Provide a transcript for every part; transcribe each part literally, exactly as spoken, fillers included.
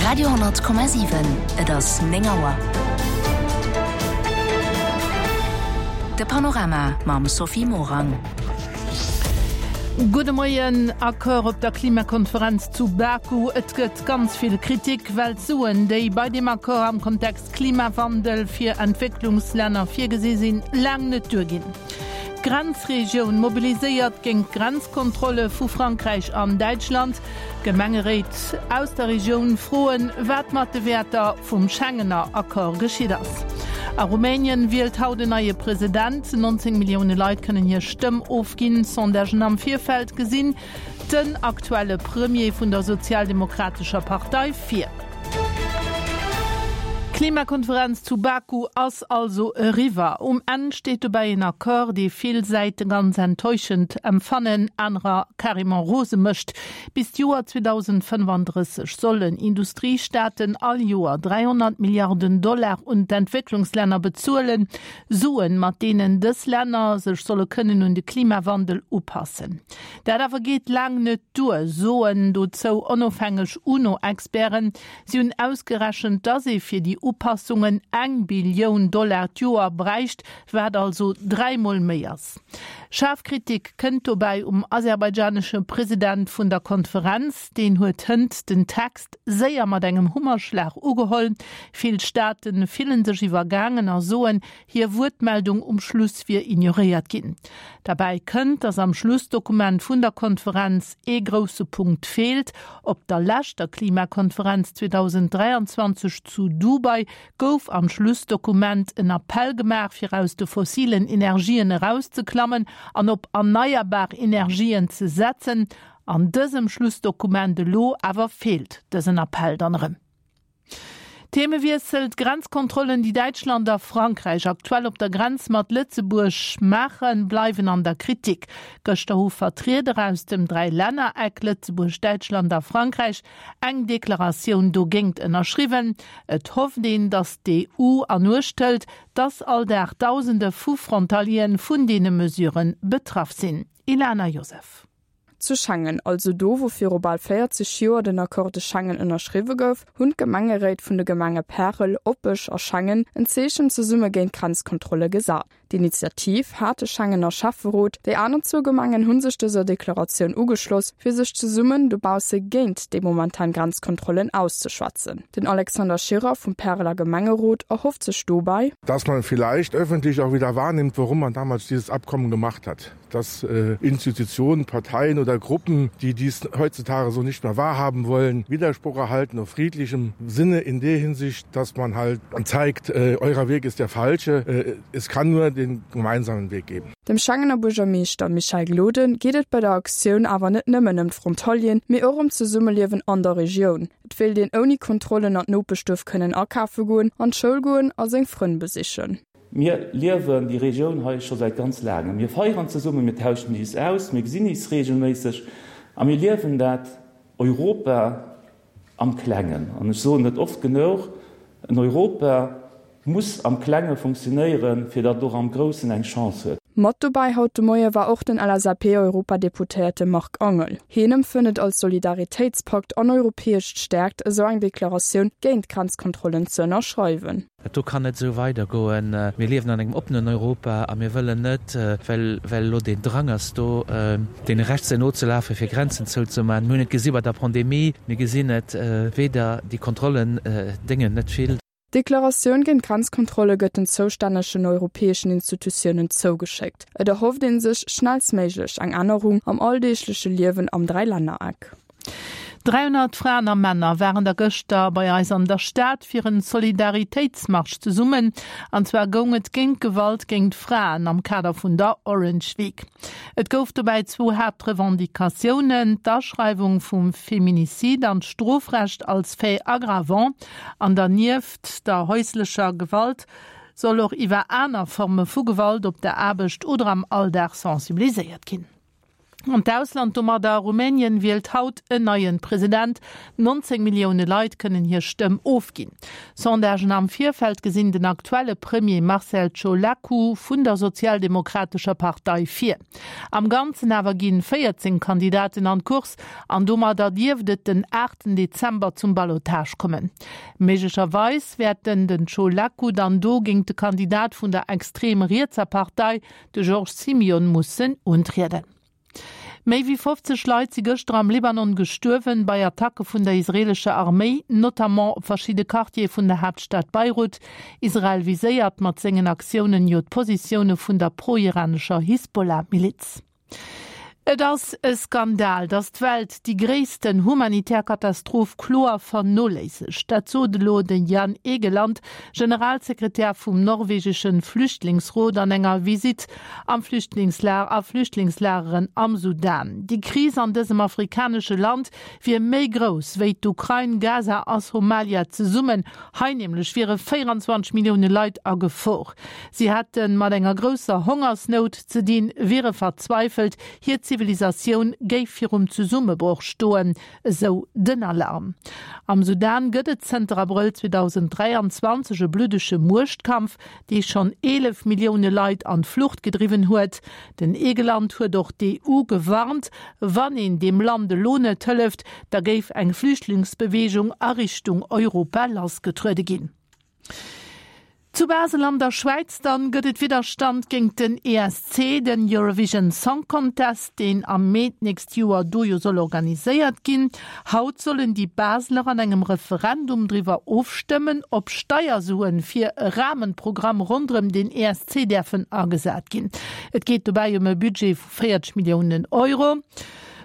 Radio honnert Komma siwen, Et ass néng Auer. De Panorama mam Sophie Morang. Gudde Moien. Accord op der Klimakonferenz zu Baku, Et gëtt ganz vill Kritik, well d'Suen, déi bei deem Accord am Kontext Klimawandel fir Entwécklungslänner virgesi sinn, laang net duerginn. D'Grenzregioun mobiliséiert géint d'Grenzkontrolle vu Frankräich an Däitschland. Gemengeréit aus der Regioun froen, wat mat de Wäerter vum Schengener Accord geschitt ass. A Rumänien wielt haut en neie President. nonzéng Millioune Leit kënnen hir Stëmm ofginn. Sondagen am Virfeld gesinn den aktuelle Premier vun der Sozialdemokratescher Partei vir. D'Klimakonferenz zu Baku ass also eriwwer. Um Enn steet dobäi en Accord, dee vill Säite ganz enttäuschend empfannen, anerer carrément rose mécht. Bis d'Joer zweedausendfënnefandrësseg sollen Industriestaaten all Joer dräihonnert Milliarden Dollar un d'Entwécklungslänner bezuelen, Suen, mat deenen dës Länner sech solle kënnen un de Klimawandel upassen. Dat awer geet laang net duer, soen dozou onofhängeg UNO-Experten. Si hunn ausgerechent, dass ee fir déi Upassungen eng Billioun Dollar d'Joer bräicht, wat also dräi Mol méi ass. Schaarf Kritik kënnt dobäi um aserbaidschanesche President vun der Konferenz. Deen huet hënt den Text séier mat engem Hummerschlag ugeholl. Vill Staate fillen sech iwwergaangen a soen, hir Wuertmeldung um Schluss wier ignoréiert ginn. Derbäi kënnt, dass am Schlussdokument vun der Konferenz ee grousse Punkt feelt. Op der leschter Klimakonferenz zweedausenddräianzwanzeg zu Dubai gouf am Schlussdokument en Appell gemaach, fir aus de fossilen Energien erauszeklammen an op erneierbar Energien ze setzen. An dësem Schlussdokument elo awer feelt dësen Appell dann erëm. Themewiessel, D'Grenzkontrollen, déi Däitschland a Frankräich aktuell op der Grenz mat Lëtzebuerg maachen, bleiwen an der Kritik. Gëschter hu Vertrieder aus dem Dräilännereck Lëtzebuerg, Däitschland a Frankräich eng Deklaratioun dogéint ënnerschriwwen. Et hofft een, datt d'EU an Uecht hëlt, datt all Dag Dausende vu Frontalieren vun deene Mesure betraff sinn. Ilana Joseph. Zu Schengen, also do wou viru bal véierzeg Joer den Accord de Schengen ënnerschriwwe gouf, hunn d'Gemengeréit vun de Gemenge Pärel, Opech a Schengen en Zeechen zesumme géint d'Grenzkontrolle gesat. D'Initiativ hat de Schengener Schäfferot, déi aner zwou Gemengen hu sech dëser Deklaratioun ugeschloss, fir sech zesummen dobausse géint déi momentan Grenzkontrollen auszeschwätzen. Den Alexander Schirrer vum Päreler Gemengerot erhofft sech dobäi, Dass man vielleicht öffentlich auch wieder wahrnimmt, warum man damals dieses Abkommen gemacht hat. Dass Institutionen, Parteien oder Gruppen, die dies heutzutage so nicht mehr wahrhaben wollen, Widerspruch erhalten auf friedlichem Sinne in der Hinsicht, dass man halt zeigt, eurer Weg ist der falsche, es kann nur den gemeinsamen Weg geben. Dem Schengener Buergermeeschter Michel Gloden geet et bei der Aktioun awer net nëmmen ëm d'Frontalieren, mee och ëm d'Zesummeliewen an der Regioun. Et wéilt een ouni Kontrollen an d'Nopeschduerf kënnen akafe goen, an d'Schoul goen a seng Frënn besichen. Mir liewen déi Regioun hei scho säit ganz laangem. Mir feieren zesummen, mir tauschen is aus, mir gesinn is regelméisseg a mir liewen dat Europa am Klengen. An ech soen et oft genuch, en Europa muss am Klenge funktionéieren, fir datt et och am Groussen eng Chance huet. Mat dobäi haut de Moie war och den L S A P-Europadeputéierte Marc Angel. Hien empfënnt et als Solidaritéitspakt an europäesch Stäerkt, esou eng Deklaratioun géint d'Grenzkontrollen ze ënnerschreiwen. Dat do kann net esou weidergoen. Mir liewen an engem oppenen Europa a mir wëllen net, well well elo deen Drang ass do, deene Rechtse nozelafen, fir Grenzen zouzemaachen. Mir hunn et gesi bei der Pandemie, mir gesinn et weder, déi Kontrollen déngen net vill. D'Deklaratioun géint d'Grenzkontrolle gëtt den zoustännegen europäeschen Institutiounen zougeschéckt. Et erhofft ee sech schnellstméiglech eng Ännerung am alldeegleche Liewen am Dräilännereck. dräihonnert Fraen a Männer waren der gëschter bei eis an der Stad fir en Solidaritéitsmarsch zesummen. An zwar goung et géint Gewalt géint Fraen am Kader vun der Orange Week. Et gouf dobäi zwou Haaptrevendicatiounen, d'Aschreiwung vum Feminicide an d'Strofrecht als Fait aggravant an dernieft der häuslecher Gewalt soll och iwwer aner Forme vu Gewalt op der Aarbecht oder am Alldag sensibiliséiert ginn. An d'Ausland domadder, Rumänien wielt haut en neien President. nonzéng Millioune Leit kënnen hir Stëmm ofginn. Sondagen am Virfeld gesinn den aktuelle Premier Marcel Ciolacu vun der Sozialdemokratescher Partei vir. Am Ganzen awer ginn véierzéng Kandidaten an d'Course an domadder dierft et den aachten Dezember zum Ballottage kommen. Méiglecherweis wäert den den Ciolacu dann do géingt de Kandidat vun der extrem rietser Partei, de George Simion, mussen untrieden. Méi wéi fofzeg Leit si gëschter am Libanon gestuerwen bei Attacke vun der israeelescher Arméi, notamment op verschidde Quartiere vun der Haaptstad Beirut. Israel viséiert mat sengen Aktiounen jo d'Positioune vun der pro-iranescher Hisbollah-Miliz. Et ass e Skandal, datt d'Welt déi gréissten humanitär Katastroph kloer vernoléissegt. Dat sot elo de Jan Egeland, Generalsekretär vum norwegeschen Flüchtlingsrot an enger Visitt am Flüchtlingslager a Flüchtlingslageren am Sudan. Déi Kris an dësem afrikanesche Land wier méi grouss wéi d'Ukrain, Gaza a Somalia zesummen. Hei nämlech wiere véieranzwanzeg Millioune Leit a Gefor. Si hätte mat enger grousser Hongersnout ze dinn, wiere verzweifelt, hir Zivilisatioun géif virum Zesummebroch stoen, esou den Alarm. Am Sudan gëtt et zënter Abrëll zweedausenddräianzwanzeg e bluddege Muechtkampf, dee schonn eelef Millioune Leit an d'Flucht gedriwwen huet. Den Egeland huet och d'EU gewarnt, wann een deem Land elo net hëlleft, da géif eng Flüchtlingsbeweegung a Richtung Europa lassgetruede ginn. Zu Basel an der Schwäiz dann gëtt et Widderstand géingt den E S C, den Eurovision Song Contest, deen am Mee d'nächst Joer do jo soll organiséiert ginn. Haut sollen déi Baseler an engem Referendum driwwer ofstëmmen, ob Steiersuen fir e Rahmenprogramm ronderëm den E S C däerfen agesat ginn. Et geet dobäi ëm e Budget vu véierzeg Milliounen Euro.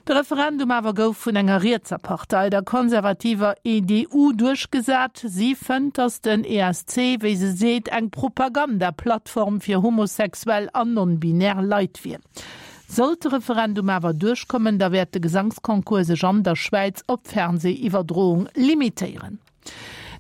De Referendum awer gouf vun enger rietser Partei, der konservativer E D U, duerchgesat. Si fënnt, datt den E S C, wéi se seet, eng Propagandaplattform fir homosexuell an non-binär Leit wier. Sollt de Referendum awer duerchkommen, da wäert de Gesangsconcours sech an der Schwäiz op d'Fernsehiwwerdroung limitéieren.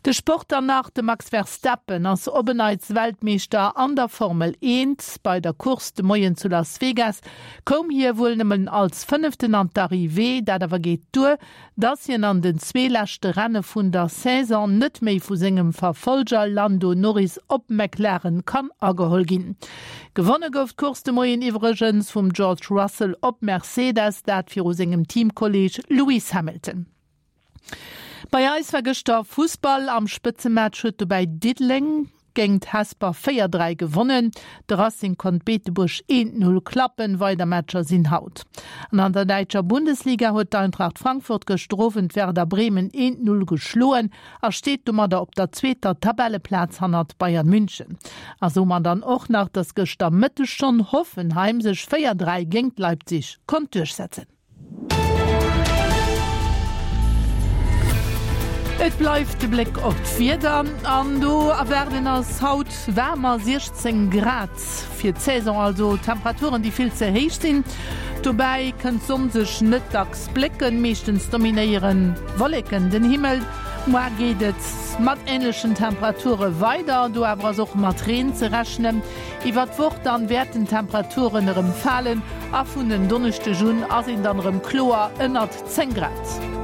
De Sport dann nach, De Max Verstappen ass op en Neits Weltmeeschter an der Formel eent. Bei der Course de Moien zu Las Vegas koum hie wuel nëmmen als Fënneften an d'Arrivée. Dat awer geet duer, dass hien an den zwee leschte Renne vun der Saison net méi vu sengem Verfollger Lando Norris op McLaren kann ageholl ginn. Gewonne gouf d'Course de Moien iwwregens vum George Russell op Mercedes, dat viru sengem Teamkolleeg Lewis Hamilton. Bei eis war gëschter Fussball, am Spëtzematch huet dobäi Diddeleng géingt Hesper véier, dräi gewonnen. De Racing konnt Beetebuerg eent, null klappen. Weider Matcher sinn haut. An an der däitscher Bundesliga huet d'Eintracht Frankfurt gëschter Owend Werder Bremen eent, null geschloen a steet domadder op der zweeter Tabelleplaz hannert Bayern München. A soe mer dann och nach, dass gëschter Mëtteg schonn Hoffenheim sech véier, dräi géingt Leipzig konnt duerchsetzen. Et bleift de Bléck op d'Wieder an do erwaarden eis haut waarmer siechzéng Grad fir d'Saison, also Temperaturen, déi vill ze héich sinn. Dobäi kënnt d'Sonn sech net dacks blécken, meeschtens dominéiere Wolleken den Himmel. Muar geet et mat änlechen Temperature weider, do awer ass och mat Reen ze rechnen. Iwwer d'Woch dann wäerten d'Temperaturen erëm falen a vun en Donneschdeg un ass een dann erëm kloer ënnert zéng Grad.